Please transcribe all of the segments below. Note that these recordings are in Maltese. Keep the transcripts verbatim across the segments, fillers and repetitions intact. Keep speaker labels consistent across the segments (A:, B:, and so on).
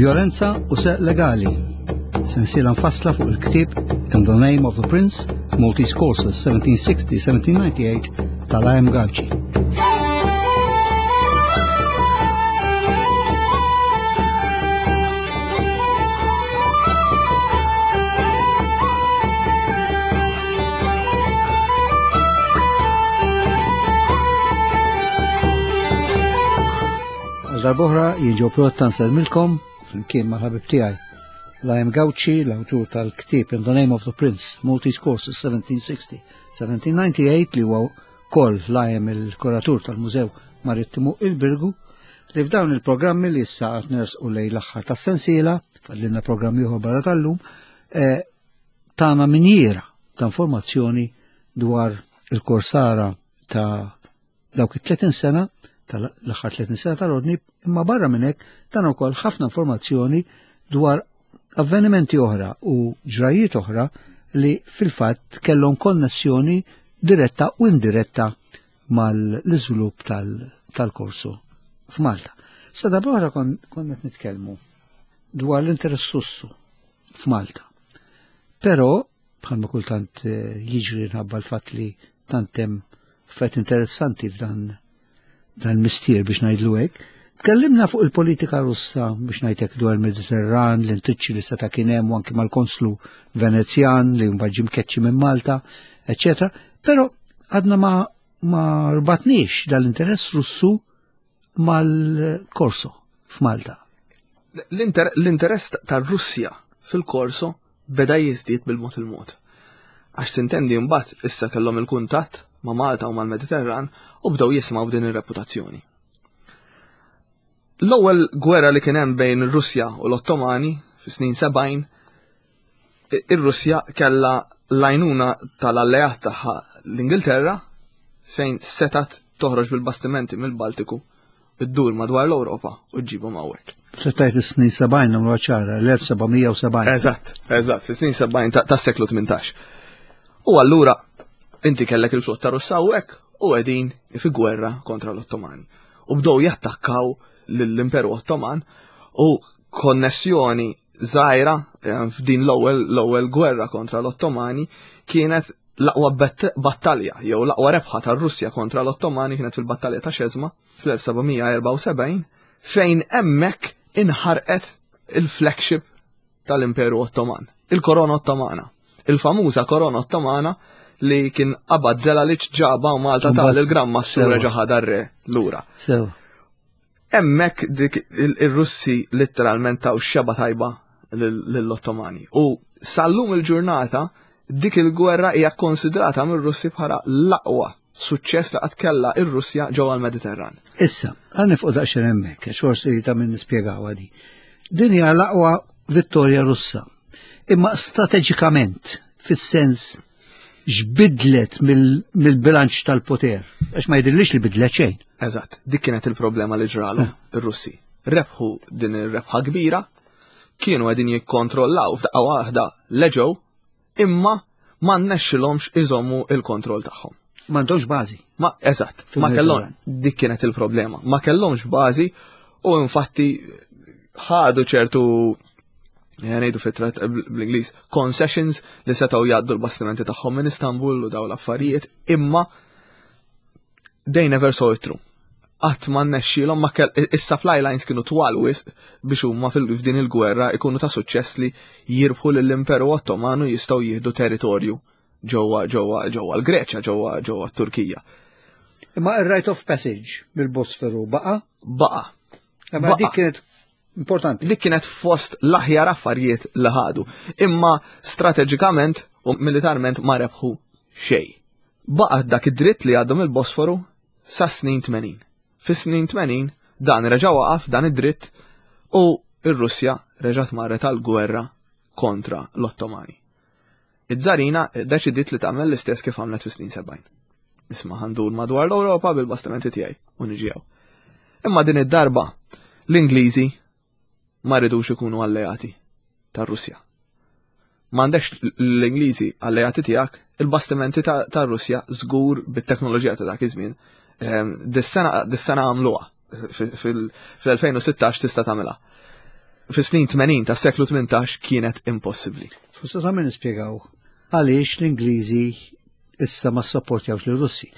A: Vjolenza u Serq Legali. Sensiela mfassla fuq il-ktieb In the Name of the Prince, Maltese Courses seventeen sixty seventeen ninety-eight tal-I M. Gauci. Għal darb'oħra jien Joe Pirotta nsellmilkom flimkien mal-ħabib tiegħi L I M. Gauci, l-awtur tal-ktieb In the Name of the Prince, Maltese Courses seventeen sixty seventeen ninety-eight, li huwa wkoll L I M il-kuratur tal-Mużew Marittimu il-Birgu, li f'dawn il-programmi li issa qed nersqu lejn l-aħħar tas-sensiela, fadlilna programmi ieħor barra tal-lum, eh, tana minjiera ta' informazzjoni dwar il-korsara ta' dawk it-tletin sena, tal-aħħar tletin sena tal-ordni, imma barra minn hekk tana wkoll ħafna informazzjoni dwar avvenimenti oħra u ġrajiet oħra li fil-fatt kellhom konnessjoni diretta u indiretta mal-iżvilupp tal-korsu f'Malta. Sa darb'oħra konna qed nitkellmu dwar l-interess Russu f'Malta. Però, bħalma kultant eh, jiġri nħabba l-fatt li tant hemm affarijiet interessanti f'dan dan mistier biex ngħidlu hekk, tkellimna fuq il-politika Russa biex ngħidlek dwar il-Mediterran, l-intriċċi li seta' kien hemm u anki mal-konslu Venezjan li mbagħad ġie mkeċċi minn Malta, eċetera. Però għadna ma ma rbatniex dal-interess Russu mal-korso f'Malta.
B: L-interess tar-Russja fil-korso beda jiżdied bil-mod il-mod. Għax sintendi mbagħad issa kellhom il-kuntatt ma' Malta u mal-Mediterran u bdew jisimgħu din ir-reputazzjoni. L-ewwel gwerra li kien hemm bejn ir-Russja u l-Ottomani fis-snin sebgħin, ir-Russja kellha l-għajnuna tal-alleat tagħha l-Ingilterra, fejn setat toħroġ bil-bastimenti mill-Baltiku, iddur madwar l-Ewropa u ġġibhom hawnhekk.
A: Tgħid is-snin sebgħin, nagħmlu ċara, l-elf seba' mija u sebgħin.
B: Eżatt, eżatt, fis-snin sebgħin tas-seklu tmintax. U allura inti kellek il-flotta Russa hawnhekk u qegħdin fi gwerra kontra l-Ottomani. U bdew jattakkaw l-Imperu Ottoman u konnessjoni żgħira eh, f'din l-ewwel l-ewwel gwerra kontra l-Ottomani kienet l-aqwa battalja jew l-aqwa rebħa tar-Russja kontra l-Ottomani kienet fil-battalja ta' Xezma fl-elf seba' mija erbgħa u sebgħin, fejn hemmhekk inħarqet il-flagship tal-Imperu Ottoman, il-Korona Ottomana. Il-famuża Korona Ottomana li kien qabad Zelalic ġaba u Malta tal il-Gran Mastru reġa' ħadha r-re lura.
A: Sew.
B: Hemmhekk dik il-Russi letteralment taw xeba tajba lill-Ottomani. U sallum il-ġurnata dik il-gwerra hija konsidrata mir-Russi bħala l-aqwa suċċess li qatt kellha ir-Russja ġewwa l-Mediterran.
A: Issa, ħa nieqfu daqsxejn hemmhekk, għax forsi ta' min nispjegaw di. Din hija l-aqwa vittorja Russa. Imma strateġikament, fis-sens x'bidlet mill-bilanċ tal-poter? Għax ma jidhirlix li bidlet xejn.
B: Eżatt, dik kienet il-problema li ġralu eh. ir-Russi. Rebħu din ir-rebħa kbira, kienu qegħdin jikkontrollaw f'daqqa waħda l-Eġew, imma ma rnexxilhomx iżommu il-kontroll tagħhom.
A: M'għandhomx bażi.
B: Ma eżatt, ma kellhom, dik kienet il-problema. Ma kellhomx bażi u infatti ħadu ċertu, ngħidu fit bl-Ingliż, concessions li setgħu jgħaddu l-bastimenti tagħhom minn Istanbul u daw l-affarijiet, imma they never saw it through. Qatt ma rnexxielhom, ma kell is-supply lines kienu twal wisq biex huma f'din il-gwerra ikunu ta' suċċess li jirbħu lill-Imperu Ottomanu, jistgħu jieħdu territorju ġewwa ġewwa ġewwa l-Greċja, ġewwa ġewwa t-Turkija.
A: Imma ir-right of passage mill-Bosforu baqa?
B: Baqa.
A: Imma dik kienet importanti.
B: Dik kienet fost l-aħjar affarijiet li ħadu. Imma strateġikament u militarment ma rebħu xejn. Baqa dak id-dritt li għadhom il-Bosforu sa snin tmenin. Fis-snin tmenin dan reġa' waqaf dan id-dritt u ir-Russja reġgħet marret għal-gwerra kontra l-Ottomani. Iż-Żarina deċidiet li tagħmel l-istess kif għamlet fis-snin sebgħin. Isma', ħa ndur madwar l-Ewropa bil-bastimenti tiegħi u niġi hawn. Imma din id-darba l-Ingliżi ma ridux ikunu alleati tar-Russja. M'għandekx l-Ingliżi alleati tiegħek, il-bastimenti tar-Russja żgur bit-teknoloġija ta' dak iż-żmien. Ehm, dis-sena dis-sena għamluha fil-elfejn u sittax, tista' tagħmilha. Fis-snin tmenin tas-seklu tmintax kienet impossibbli.
A: Forse ta' min nispjegaw għaliex l-Ingliżi issa ma ssapportjawx lir-Russi.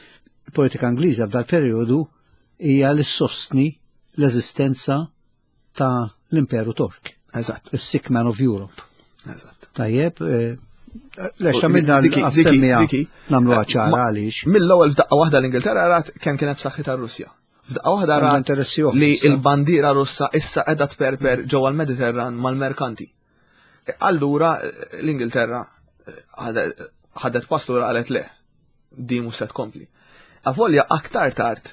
A: Il-politika Ingliża f'dal perjodu hija li ssostni l-eżistenza ta' l-Imperu Tork.
B: Eżatt.
A: The sick man of Europe.
B: Eżatt.
A: Tajjeb, eh, lex ta' minna għas-semmija namlu ċara għaliex.
B: Mill-ewwel f'daqqa waħda l-Ingilterra rat kemm kienet b'saħħitha r-Russja. F'daqqa waħda rat li l-bandiera Russa issa qiegħda tperper ġewwa l-Mediterran mal-merkanti. Allura l-Ingilterra ħadet pass lura, qalet le, di mhux se tkompli. Avolja aktar tard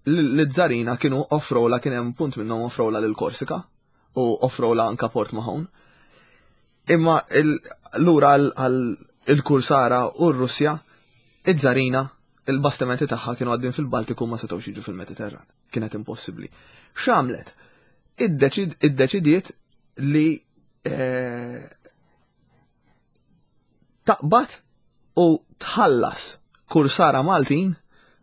B: l-Zarina kienu offrowla, kien hemm punt minnhom offrowla lil Korsika u offrowla anka Port Mahon. Imma lura għal il-Kursara u r-Russja, iż-Zarina, il-bastimenti tagħha kienu għaddin fil-Baltiku, ma setgħux jiġu fil-Mediterran. Kienet impossibbli. X'għamlet? Iddeċidiet li eh, taqbad u tħallas kursara Maltin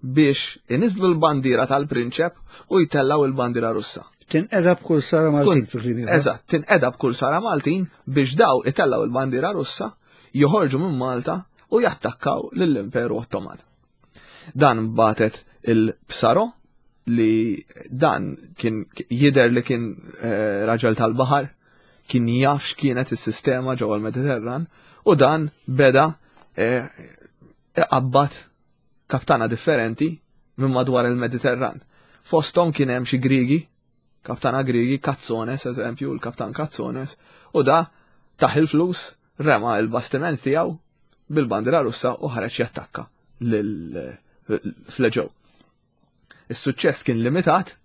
B: biex iniżlu l-bandiera tal-prinċep u jtellaw il-bandiera Russa.
A: Tinqeda b'kursara Maltin fil-kliem.
B: Eżatt, tinqeda b'kursara Maltin biex daw itellaw il-bandiera Russa, joħorġu minn Malta u jattakkaw lill-Imperu Ottoman. Dan bagħtet il-Psaro, li dan kien jider li kien eh, raġel tal-baħar, kien jaf x'kienet is-sistema ġewwa l-Mediterran, u dan beda eh, iqabbad kaptana differenti minn madwar il-Mediterran. Fosthom kien hemm xi Grigi, kaptana Grigi, Katsones, eżempju, il-kaptan Katsones, u da tah il-flus, rema il-bastiment tiegħu bil-bandiera Russa u ħareġ jattakka fl-Eġew. Is-suċċess kien limitat,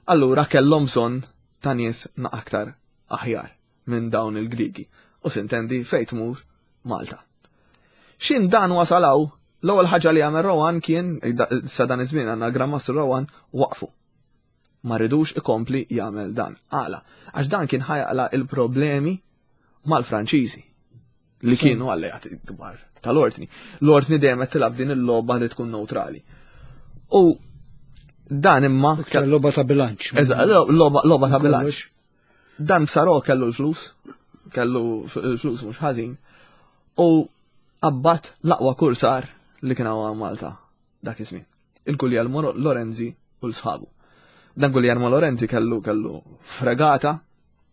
B: allura kellhom bżonn ta' nies na aktar aħjar minn dawn il-Grigi. U sintendi fejn tmur Malta. Xin dan wasalaw, l-ewwel ħaġa li għamel Rohan kien, sa dan iż-żmien għandna Gran Mastru Rohan, waqfu. Ma ridux ikompli jagħmel dan. Għala, għax dan kien ħa jaqla' il-problemi mal-Franċiżi li kienu alleati kbar tal-ordni. L-ordni dejjem qed tilgħab din il-logħba li tkun neutrali. U dan imma
A: Logħba ta' bilanċ.
B: Eżatt, logħba ta' bilanċ. Dan Psaro kellu l-flus, kellu l-flus mhux ħażin, u qabbad l-aqwa kursar li kien hawn Malta dak iż-żmien. Il-Guglielmo Lorenzi u l-sħabu. Dan Guglielmo Lorenzi kellu kellu fregata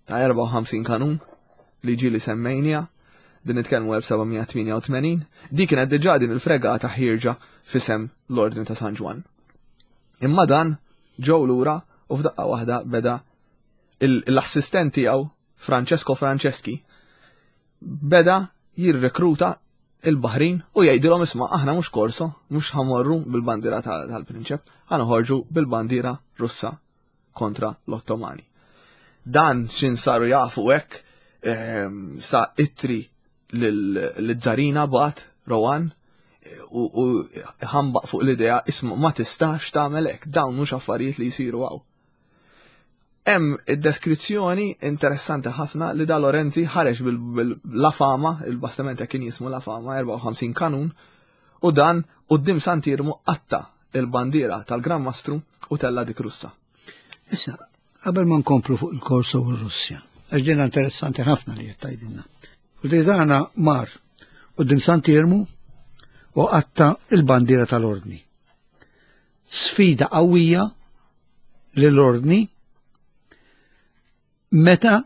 B: ta' erbgħa u ħamsin kanun li ġili semmejnija, din nitkellmu elf seba' mija tmienja u tmenin, di kienet diġà din il-fregata ħierġa f'isem l-Ordni ta' San Ġwann. Imma dan ġew lura u f'daqqa waħda beda l-assistent tiegħu Francesco Franceschi beda jirrekruta il-Baħrin u jgħidilhom, "Isma', aħna mhux korso, mhux ħa mmorru bil-bandiera tal-prinċep, ħa noħorġu bil-bandiera Russa kontra l-Ottomani." Dan xin saru jafu hekk, ehm, sa ittri l-Zarina bagħat Rohan u ħambaq fuq l-idea, "Isma', ma tistax tagħmel hekk, dawn mhux affarijiet li jsiru hawn." Hemm id-deskrizzjoni interessanti ħafna li da Lorenzi ħareġ bil-La Fama, il-bastiment kien jismu La Fama, erbgħa u ħamsin kanun, u dan quddiem Sant'Iermu qatta' il-bandiera tal-Gran Mastru u tella' dik Russa.
A: Issa, qabel ma nkomplu fuq il-Korso u r-Russja, għax din interessanti ħafna li qed tgħidilna. U di dana mar quddiem Sant'Iermu u qatta' il-bandiera tal-ordni. Sfida qawwija lill-ordni meta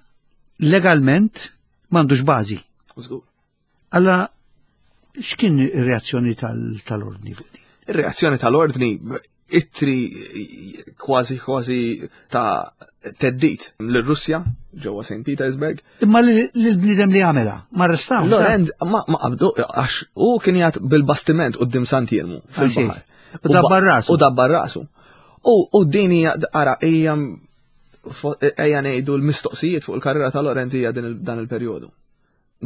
A: legalment m'għandux bażi. Allora, x'kien ir-reazzjoni tal-ordni fuq din?
B: Ir-reazzjoni tal-ordni, ittri kważi kważi ta' theddid l-Russja ġewwa Saint Petersburg.
A: Imma l-bniedem li għamela, ma arrestaw.
B: Lorenz ma ma qabdu għax u kien jgħat bil-bastiment quddiem Sant'Iermu fil-baħar.
A: U dabbar rasu.
B: U dabbar rasu. U din hija, ara, hija ejja ngħidu l-mistoqsijiet fuq il-karriera ta' Lorenz hija dan il-perjodu.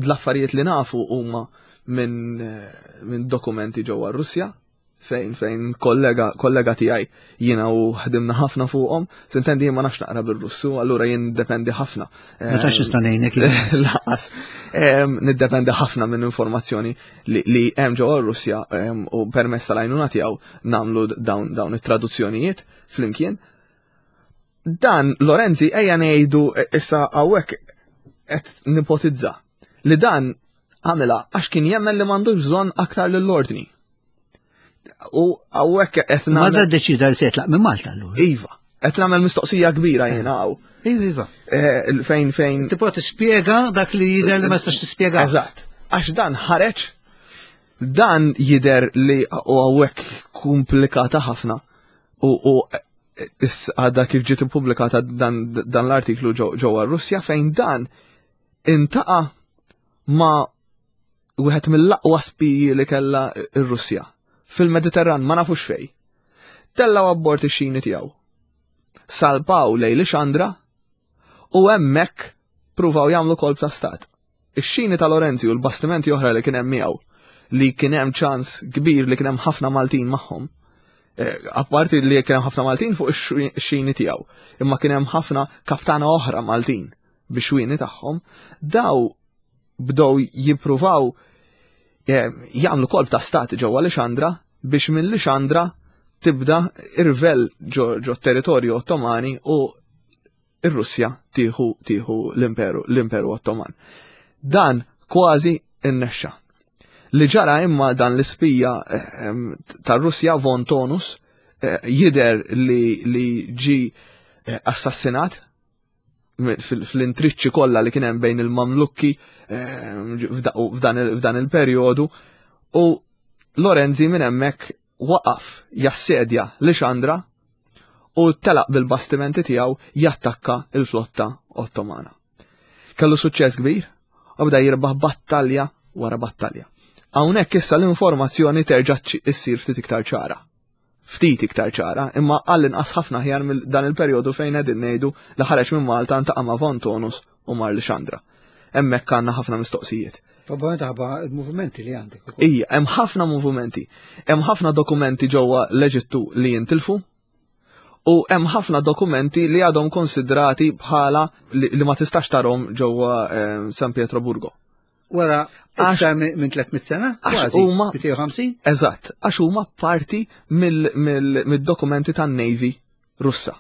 B: L-affarijiet li nafu huma minn min dokumenti ġewwa Russja, fejn fejn kollega kollega tiegħi jiena u ħdimna ħafna fuqhom, sintendi jien ma nafx naqra bil-Russu, allura jien dependi ħafna.
A: Ma tantx nista' ngħinek.
B: Lanqas. Niddependi ħafna minn informazzjoni li hemm ġewwa Russja u permezz tal-għajnuna tiegħu nagħmlu dawn dawn it-traduzzjonijiet flimkien. Dan Lorenzi ejja ngħidu issa hawnhekk qed nipotizza li dan għamilha għax kien jemmen li m'għandux bżonn aktar lill-ordni. U hawnhekk qed
A: Ma da ddeċida li se jitlaq minn Malta allura.
B: Iva, qed nagħmel mistoqsija kbira jiena hawn.
A: Iva, iva.
B: Eh, fejn fejn.
A: Tipprova tispjega dak li jidher li ma tistax tispjega.
B: Eżatt. Għax dan ħareġ, dan jidher li u hawnhekk komplikata ħafna. U, u għadha kif ġiet ippubblikata dan, dan l-artiklu ġewwa Russja fejn dan intaqa' ma' wieħed mill-aqwa spiji li kellha r-Russja fil-Mediterran ma nafux fej. Tellaw abbord ix-xini tiegħu. Salpaw lejn Lixandra u hemmhekk pruvaw jagħmlu kolp ta' stat. Ix-xini ta' Lorenzi u l-bastimenti oħra li kien hemm miegħu li kien hemm ċans kbir li kien hemm ħafna Maltin magħhom. Apparti li kien hemm ħafna Maltin fuq ix-xini tiegħu, imma kien hemm ħafna kaptana oħra Maltin bix-xwieni tagħhom, daw bdew jippruvaw jagħmlu kolp ta' stat ġewwa Lixandra biex minn Lixandra tibda irvel ġo territorju Ottomani u ir-Russja tieħu tieħu l-Imperu l-Imperu Ottoman. Dan kważi innexxa. Li ġara imma dan l-ispija tar-Russja Von Tonus jidher li li ġi assassinat fl-intriċċi kollha li kien hemm bejn il-Mamlukki f'dan il-perjodu u Lorenzi minn hemmhekk waqaf jassedja Lixandra u telaq bil-bastimenti tiegħu jattakka il-flotta Ottomana. Kellu suċċess kbir u bda jirbaħ battalja wara battalja. Hawnhekk issa l-informazzjoni terġa' issir ftit iktar ċara. Ftit iktar ċara, imma għall-inqas ħafna ħjar mill dan il-perjodu fejn qegħdin ngħidu li ħareġ minn Malta ntaqa' ma' Von Tonus u mar Lixandra. Hemmhekk għandna ħafna mistoqsijiet.
A: Probabbilment ħabba il-movimenti li għandek ukoll.
B: Ija, hemm ħafna movimenti. Hemm ħafna dokumenti ġewwa l-Eġittu li jintilfu u hemm ħafna dokumenti li għadhom konsidrati bħala li, li ma tistax tarhom ġewwa eh, San Pietroburgo.
A: Wara iktar minn tliet mitt sena?
B: Għax huma
A: mitejn u ħamsin?
B: Eżatt, għax huma parti mill-dokumenti tan-Navy Russa.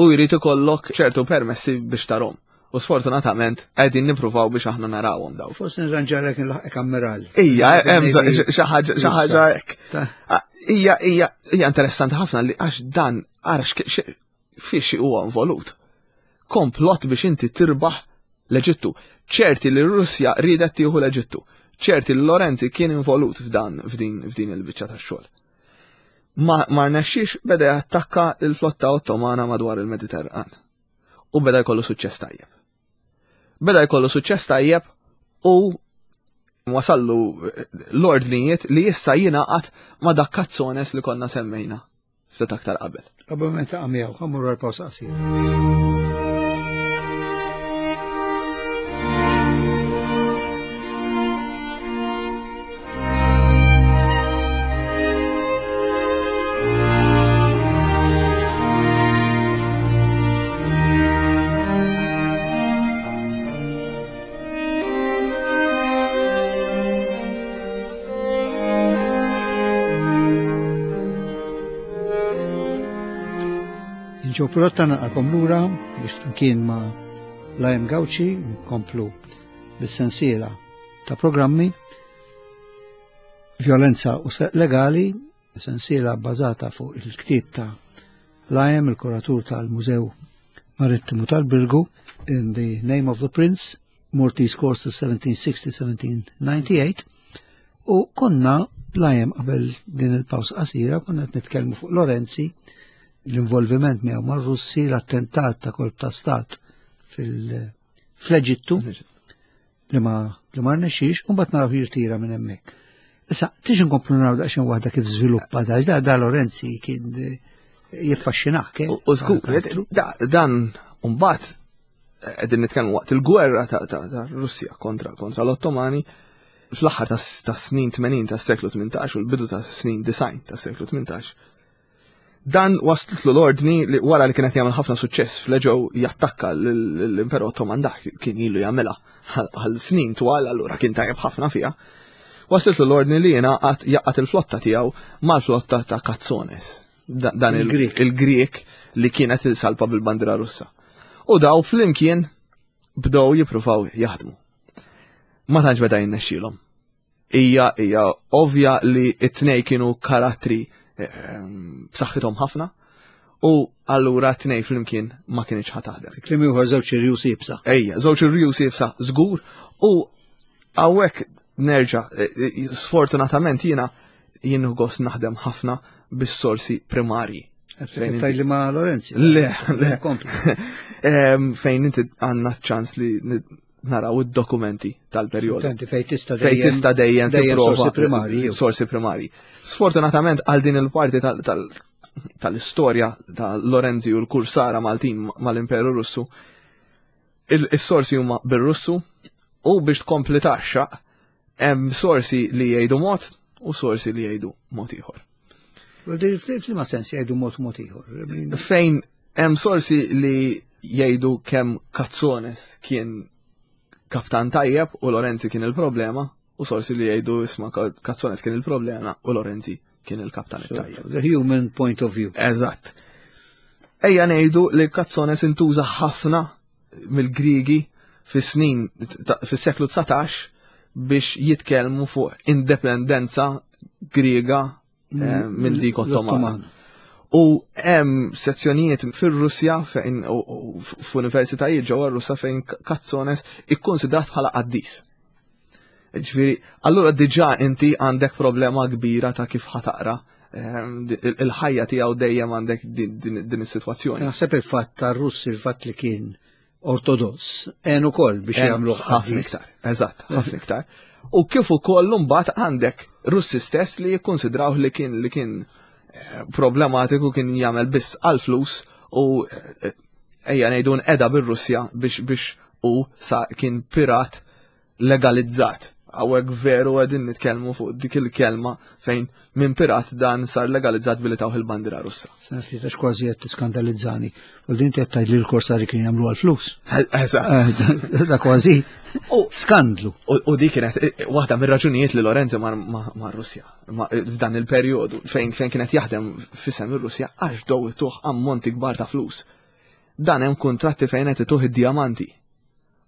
B: U jrid ikollok ċertu permessi biex tarhom. U sfortunatament qegħdin nippruvaw biex aħna narawhom daw.
A: Forsi nirranġalek nlaħqek ammiral.
B: Ija, hemm xi ħaġa hekk. Ija, hija hija interessanti ħafna li għax dan ara fiex huwa involut. Komplott biex inti tirbaħ l-Eġittu. Ċerti li Russja ridet tieħu l-Eġittu. Ċerti li Lorenzi kien involut f'dan f'din f'din il-biċċa tax-xogħol. Ma ma rnexxiex beda jattakka l-flotta Ottomana madwar il-Mediterran. U beda jkollu suċċess tajjeb. Beda jkollu suċċess tajjeb u wasallu l-ordnijiet li issa jingħaqad ma' dak Katsones li konna semmejna ftit aktar qabel.
A: Qabel ma ntaqa' miegħu, ħa mmorru għal pawsa qasira. Ġo Pirotta naqalkom lura biex flimkien ma' Lajem Gauci nkomplu bis-sensiela ta' programmi Violenza u Serq Legali, sensiela bbażata fuq il-ktieb ta' Lajem, il-kuratur tal-Mużew Marittimu tal-Birgu, In the Name of the Prince, Maltese Courses seventeen sixty seventeen ninety-eight, u konna Lajem qabel din il-pawsa qasira konna qed nitkellmu fuq Lorenzi, l-involviment miegħu mar-Russi, l-attentat ta' kolp ta' stat fil-Eġittu li ma li ma rnexxiex, u mbagħad naraw jirtira minn hemmhekk. Issa, tiġi nkomplu naraw daqsxejn waħda kif żviluppa da, da, da Lorenzi kien jiffaxxinak, eh?
B: U żgur, dan mbagħad qegħdin nitkellmu waqt il-gwerra ta', ta, ta' Russja kontra, kontra l-Ottomani fl-aħħar ta', ta' snin tmenin tas-seklu tmintax u l-bidu ta' snin disgħin tas-seklu tmintax. Dan waslitlu l-ordni li wara li kienet jagħmel ħafna suċċess fl-Eġew jattakka l-Imperu Ottoman, dak kien ilu jagħmilha għal snin twal, allura kien tajjeb ħafna fiha. Waslitlu l-ordni li jingħaqad jaqgħad il-flotta tiegħu mal-flotta ta' Katsones. Dan il-Grieg li kienet il-salpa bil-bandira Russa. U daw flimkien bdew jippruvaw jaħdmu. Ma tantx beda jinnexxielhom. Hija hija ovvja li t-tnej kienu karattri ehm, b'saħħithom ħafna u allura t-tnej flimkien ma kienx ħa taħdem.
A: Kliem ieħor żewġ irjus iebsa.
B: Ejja, żewġ irjus iebsa żgur u hawnhekk nerġa' e, e, sfortunatament jiena jien gost naħdem ħafna bis-sorsi primarji.
A: Fejn li ma Lorenzi.
B: Le, le. Fejn inti għandna ċans li naraw id-dokumenti tal-perjodu.
A: Fejn tista'
B: dejjem. Fejn tista' dejjem
A: sorsi primarji.
B: Sorsi primarji. Sfortunatament għal din il-parti tal-istorja ta' Lorenzi u l-Kursara Maltin mal-Imperu Russu, il-sorsi huma bir-Russu u biex tkompli taxxa hemm sorsi li jgħidu mod u sorsi li jgħidu mod ieħor.
A: F'liema sens jgħidu mod mod ieħor?
B: Fejn hemm sorsi li jgħidu kemm Katsones kien kaptan tajjeb u Lorenzi kien il-problema u sorsi li jgħidu isma' Katsones kien il-problema u Lorenzi kien il-kaptan tajjeb.
A: The human point of view.
B: Eżatt. Ejja ngħidu li Katsones intuża ħafna mill-Griegi fis-snin fis-seklu dsatax biex jitkellmu fuq indipendenza Griega eh, minn dik Ottomana. U hemm sezzjonijiet fir-Russja fejn f'universitajiet ġewwa Russja fejn Katsones ikkonsidrat bħala qaddis. Ġifieri, allura diġà inti għandek problema kbira ta' kif ħataqra eh, il-ħajja tiegħu dejjem għandek din is-sitwazzjoni.
A: Naħseb il-fatt tar-Russi, il-fatt li kien ortodoss, għen ukoll biex jagħmlu
B: ħafna iktar. Eżatt, ħafna iktar. U kif ukoll mbagħad għandek Russi stess li jikkonsidraw li kien li kien eh, problematiku, kien jagħmel biss għal flus u eh, ejja ngħidu nqeda bir-Russja biex biex u sa kien pirat legalizzat. Hawnhekk veru qegħdin nitkellmu fuq dik il-kelma fejn minn pirat dan sar legalizzat billi tawh il-bandira Russa.
A: Sena għax kważi qed tiskandalizzani. U din qed tgħid li l-korsari kien jagħmlu għall-flus.
B: Eżatt.
A: Da kważi skandlu.
B: U dik kienet waħda mir-raġunijiet li Lorenzo mar Russja f'dan il-perjodu fejn fejn kienet jaħdem f'isem ir-Russja għax dow ituh ammonti kbar ta' flus. Dan hemm kuntratti fejn qed ituh id-diamanti.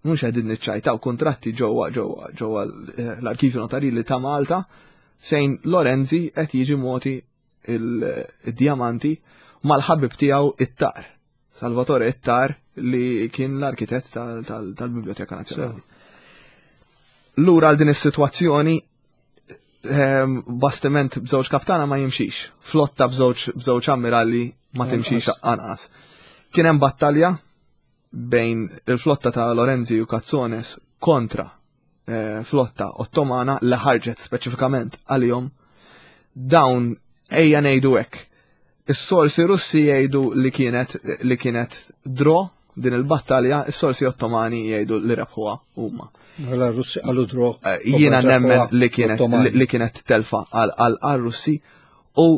B: Mhux qegħdin niċċajtaw, kuntratti ġewwa ġewwa ġewwa l-Arkivju Notarili ta' Malta fejn Lorenzi qed jiġi moti il-diamanti mal-ħabib tiegħu it-Tar, Salvatore Ittar li kien l-arkitett tal-Biblioteka Nazzjonali. Lura għal din is-sitwazzjoni, bastiment b'żewġ kaptana ma jimxix, flotta b'żewġ ammiralli ma timxix anqas. Kien hemm battalja bejn il-flotta ta' Lorenzi u Katsones kontra eh, flotta Ottomana li ħarġet speċifikament għalihom. Dawn ejja ngħidu hekk. Is-sorsi Russi jgħidu li kienet li kienet draw din il-battalja, is-sorsi Ottomani jgħidu li rebħuha huma.
A: Mela Russi qalu draw.
B: Eh, jiena nemmen li kienet li kienet telfa għal Russi u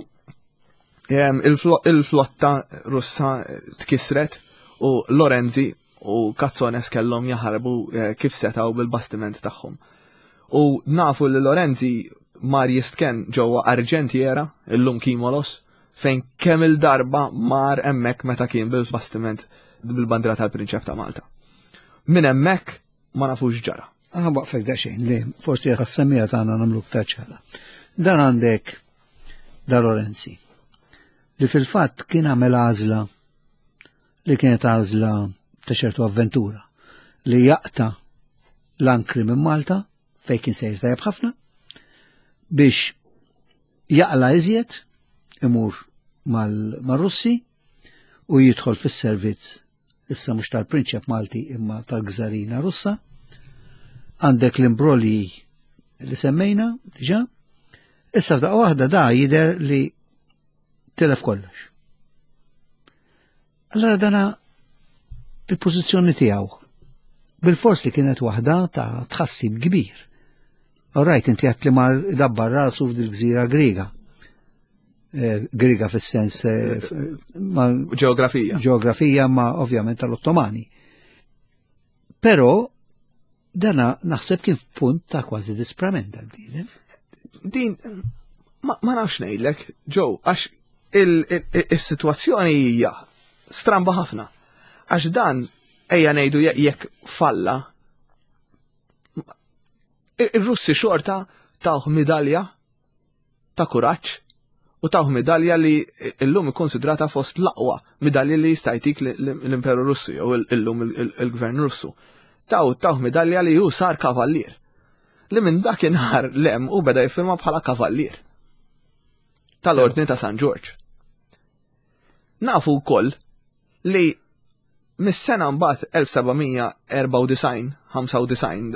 B: il-flotta Russa tkisret u Lorenzi u Katsones kellhom jaħarbu kif setgħu bil-bastiment tagħhom. U nafu li Lorenzi mar jistken ġewwa Argentiera, illum Kimolos, fejn kemm il-darba mar hemmhekk meta kien bil-bastiment bil-bandra tal-Prinċep ta' Malta. Minn hemmhekk ma nafux ġara.
A: Ah, waqfek daqsxejn li forsi għas-semmija tagħna nagħmlu iktar ċara. Dan għandek da Lorenzi li fil-fatt kien għamel għażla li kienet għażla ta' ċertu avventura li jaqta l-ankri minn Malta fejn kien sejr tajjeb ħafna biex jaqla iżjed imur mal-Russi u jidħol fis-servizz issa mhux tal-Prinċep Malti imma tal-Gżarina Russa. Għandek l-imbrolji li semmejna diġà. Issa f'daqqa waħda da jidher li tilef kollox. Allora dana il-pożizzjoni tiegħu bil-fors li kienet waħda ta' tħassib kbir. All right, inti għat li mar dabbar rasu f'dil gżira Griega. Griega fis-sens
B: ġeografija.
A: Ġeografija ma ovvjament tal-Ottomani. Però dana naħseb kien f'punt ta' kważi disprament dal-bniedem.
B: Din ma nafx ngħidlek, Joe, għax Il-sitwazzjoni hija stramba ħafna. Għax dan ejja ngħidu jekk falla, ir-Russi xorta tawh midalja ta' kuraġġ u tawh midalja li illum ikkonsidrata fost l-aqwa midalja li jista' jtik l-Imperu Russu jew illum il-Gvern Russu. Taw tawh midalja li hu sar kavallier. Li minn dakinhar lem u beda jiffirma bħala kavallier tal-Ordni ta' San Ġorġ. Nafu wkoll li mis-sena mbagħad elf seba' mija erbgħa u disgħin, ħamsa u disgħin,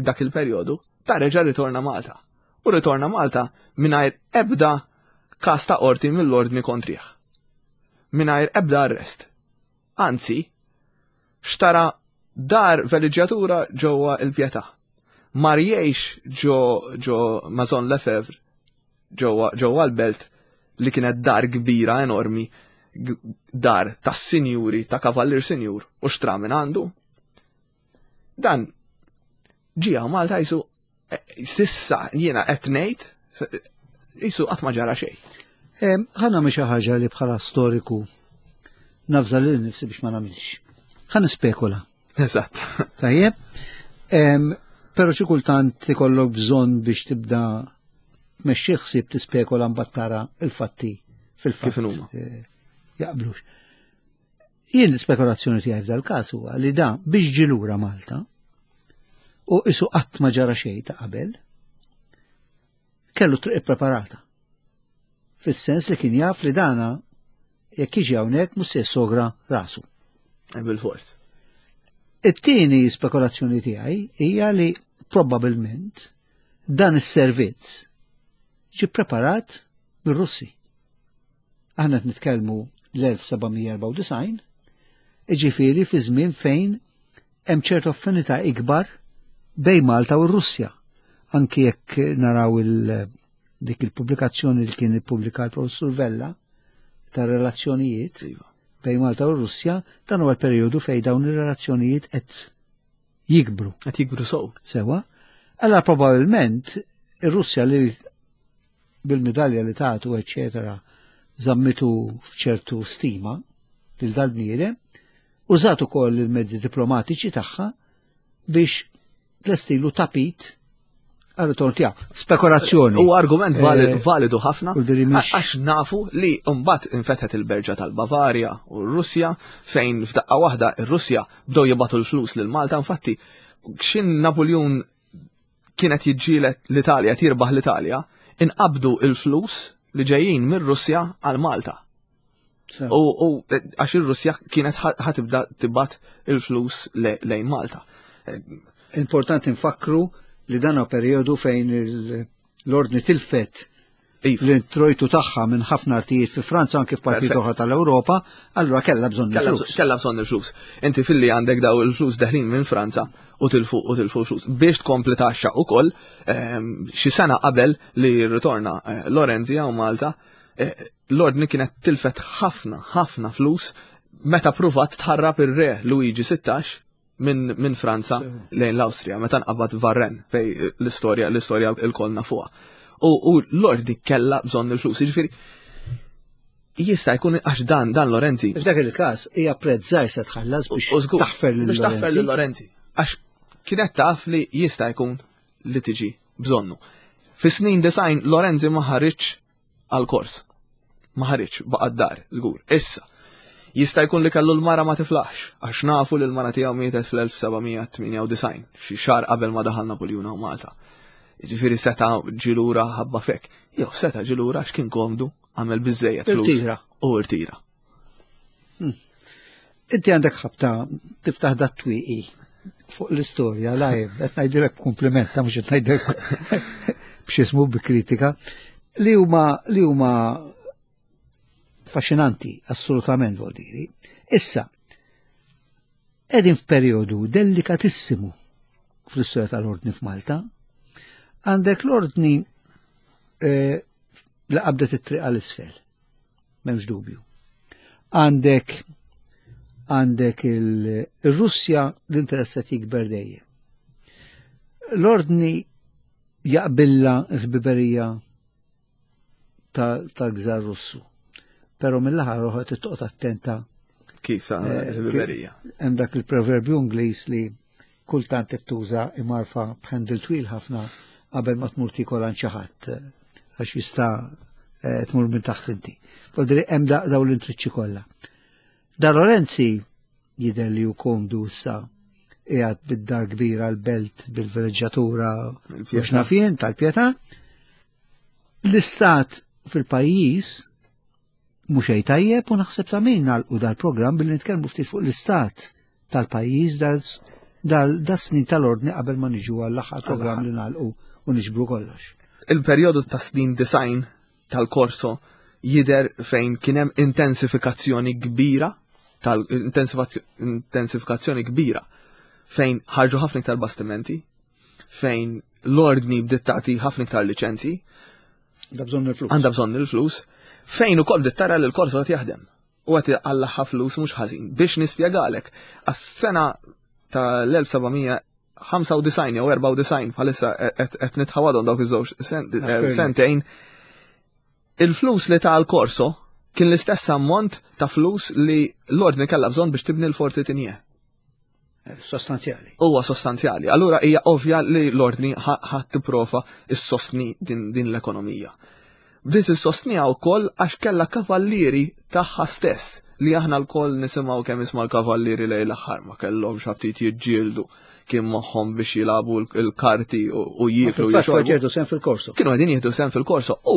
B: dak il-perjodu, ta' reġa' ritorna Malta. U ritorna Malta mingħajr ebda każ ta' qorti mill-ordni kontrih. Mingħajr ebda arrest. Anzi, xtara dar veliġġjatura ġewwa il-Pietà. Mar jgħix ġo, ġo Maison Lefebvre ġewwa, ġewwa l-belt li kienet dar kbira enormi, dar tas sinjuri, ta' kavallier sinjur, u xtra minn għandu. Dan ġie Malta jisu, eh, sissa jiena qed ngħid, jisu qatt ma ġara xejn.
A: Ħa nagħmel xi ħaġa li bħala storiku nafża lil nifsi biex ma nagħmilx. Ħa nispekula.
B: Eżatt.
A: Tajjeb. Però xi kultant ikollok bżonn biex tibda tmexxi ħsieb tispekula mbagħad tara il-fatti fil-fatt.
B: Kif inhuma?
A: Eh, jaqblux. Jien l-spekulazzjoni tiegħi f'dal-każ huwa li da biex ġie lura Malta u isu qatt ma ġara xejn ta' qabel, kellu triq ippreparata. Fis-sens li kien jaf li dana jekk jiġi hawnhekk mhux se sogra rasu.
B: Eh, bil-fors.
A: It-tieni spekulazzjoni tiegħi hija li probbabilment dan is-servizz ġie preparat mir-Russi. Aħna qed nitkellmu l-elf seba' mija erbgħa u disgħin, jiġifieri fi żmien fejn hemm ċertu affinità ikbar bejn Malta u r-Russja. Anki jekk naraw il-, dik il-pubblikazzjoni li kien ippubblika l-Professur Vella ta' relazzjonijiet
B: Iva.
A: bejn Malta u r-Russja, dan huwa l-perjodu fejn dawn ir-relazzjonijiet qed jikbru.
B: Qed jikbru sew.
A: Sewa. Allora probabbilment ir-Russja li bil-medalja li tagħtu, eċċetera, żammitu f'ċertu stima lil dal-bniedem, użat ukoll il-mezzi diplomatiċi tagħha biex tlestilu tapit għal-ritorn tiegħu. Spekulazzjoni.
B: U argument valid,
A: Eh,
B: validu ħafna,
A: u l-diri mhix
B: għax nafu li mbagħad infetħet il-berġa tal-Bavarja u r-Russja, fejn f'daqqa waħda ir-Russja bdew jibgħatu l-flus lil Malta. Infatti, x'in Napoleon kienet jiġġieled l-Italja, tirbaħ l-Italja, inqabdu il-flus li ġejjin mir-Russja għal Malta.
A: Sew.
B: U, u għax ir-Russja kienet ħa-, ħatibda tibgħat il-flus le-, lejn Malta.
A: Importanti nfakru li dan huwa perjodu fejn il-, l-ordni tilfet
B: Iva.
A: l-introjtu tagħha minn ħafna artijiet fi Franza anke f'partijiet
B: Perfett.
A: oħra tal-Ewropa, allura kellha bżonn
B: Kellha
A: il-flus.
B: bżonn, kellha bżonn il-flus. Inti filli għandek daw il-flus deħlin minn Franza u tilfu, u tilfu l-flus. Biex tkompli taxxa ukoll, ehm, xi sena qabel li rritorna, eh, Lorenzi hawn Malta, eh, l-ordni kienet tilfet ħafna, ħafna flus meta pruvat tħarrab ir-re Luigi sittax minn, minn Franza lejn l-Awstrija, meta nqabad Varren fej l-istorja, l-istorja il-kolna fuqha. U, u l-ordni kellha bżonn il-flus, jiġifieri jista' jkun għax dan, dan Lorenzi.
A: F'dak il-każ hija prezz żgħir se tħallas biex
B: U żgur,
A: taħfer lil
B: biex taħfer
A: Lorenzi.
B: lil Lorenzi. Għax kienet taf li jista' jkun li tiġi bżonnu. Fi snin design Lorenzi ma ħariġx għal-kors. Ma ħariġx, baqa' d-dar, żgur. Issa, jista' jkun li kellu l-mara ma tiflaħx, għax nafu li l-mara tiegħu mietet fl-elf seba' mija tmienja u disgħin, xi xahar qabel ma daħal Napoljun hawn Malta. Jiġifieri seta' ġilura ħabba fek. Jew seta' ġilura għax kien komdu, għamel biżejjed flus.
A: Irtira.
B: U irtira.
A: Hmm. Inti għandek ħabta tiftaħ dat twieqi fuq l-istorja, live, qed ngħidilek kompliment, ta' mhux qed ngħidilek b'xi bi kritika, li huma li huma affaxxinanti, assolutament vuol diri. Issa, qegħdin f'perjodu delikatissimu fl-istorja tal-ordni f'Malta. Għandek l-ordni, eh, li qabdet it-triq għal-isfel, m'hemmx dubju. Għandek, għandek il-, il-Russja l-interess qed jikber dejjem. L-ordni jaqbilla l-ħbiberija ta-, tal-gżar Russu. Però mill-aħħar oħra toqgħod attenta.
B: Kif ta'
A: Eh,
B: ħbiberija.
A: Hemm dak il-proverbju Ingliż li kultant qed tuża imgħarfa b'handle twil ħafna qabel ma tmur tiekol għand xi ħadd eh, għax jista' eh, tmur minn taħt inti. Voldiri hemm da- dawn l-intriċċi kollha. Da Lorenzi jidher li hu komdu issa qiegħed bid-dar kbira l-belt bil-villeġġatura
B: Il-Pietà.
A: u x'naf jien tal-Pietà. L-istat fil-pajjiż mhux xejn tajjeb u naħseb ta' min nagħlqu dal-programm billi nitkellmu ftit fuq l-istat tal-pajjiż dal das-snin tal-ordni qabel ma niġu għall-aħħar programm li nagħlqu u niġbru kollox.
B: Il-perjodu ta' snin disgħin tal-korso jider fejn kien hemm intensifikazzjoni kbira tal-intensifikazzjoni kbira fejn ħarġu ħafna iktar bastimenti, fejn l-ordni bdiet tagħti ħafna iktar liċenzji,
A: Da bżonn il-flus.
B: Għandha bżonn il-flus, fejn ukoll bdiet tara li l-korso qed jaħdem. U qed iqallaħ flus mhux ħażin. Biex nispjegalek, għas-sena tal-elf seba' mija ħamsa u disgħin jew erbgħa u disgħin, bħalissa qed nitħawadhom dawk iż-żewġ
A: Affermi.
B: sentejn, il-flus li ta' l-korso kien l-istess ammont ta' flus li l-ordni kellha bżonn biex tibni l-Forti Tigné.
A: Sostanzjali.
B: Huwa sostanzjali. Allura hija ovvja li l-ordni ħadd tipprova issostni din, din l-ekonomija. Bdiet issostniha wkoll għax kellha kavallieri tagħha stess li aħna lkoll nisimgħu kemm isma' l-kavallieri lejn l-aħħar ma kellhomx aptit jiġġieldu, kien moħħhom biex jilagħbu l-karti u jieklu
A: Fil-fatt
B: jixorbu.
A: jieħdu sehem fil-korso.
B: Kienu qegħdin jieħdu sehem fil-korso u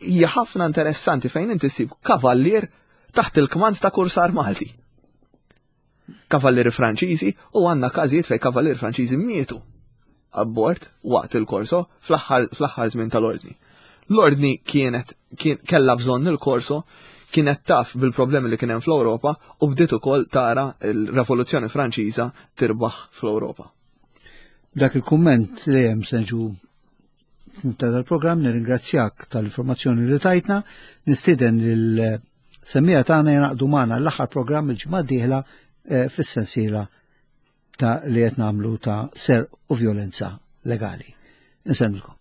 B: hija ħafna interessanti fejn inti ssib kavallier taħt il-kmand ta' kursar Malti. Kavallieri Franċiżi, u għandna każijiet fejn kavallieri Franċiżi mietu abbord waqt il-korso fl-aħħar żmien tal-ordni. L-ordni kienet kien kellha bżonn il-korso, kienet taf bil-problemi li kien hemm fl-Ewropa u bdiet ukoll tara l-Revoluzzjoni Franċiża tirbaħ fl-Ewropa.
A: Dak il-kumment li hemm se niġu ta' dal-programm, nirringrazzjak tal-informazzjoni li tajtna, nistieden il-semmiegħa tagħna jingħaqdu magħna l-aħħar programm il-ġimgħa d-dieħla eh, fis-sensiela ta' li qed nagħmlu ta' serq u violenza legali. Insellmilkom.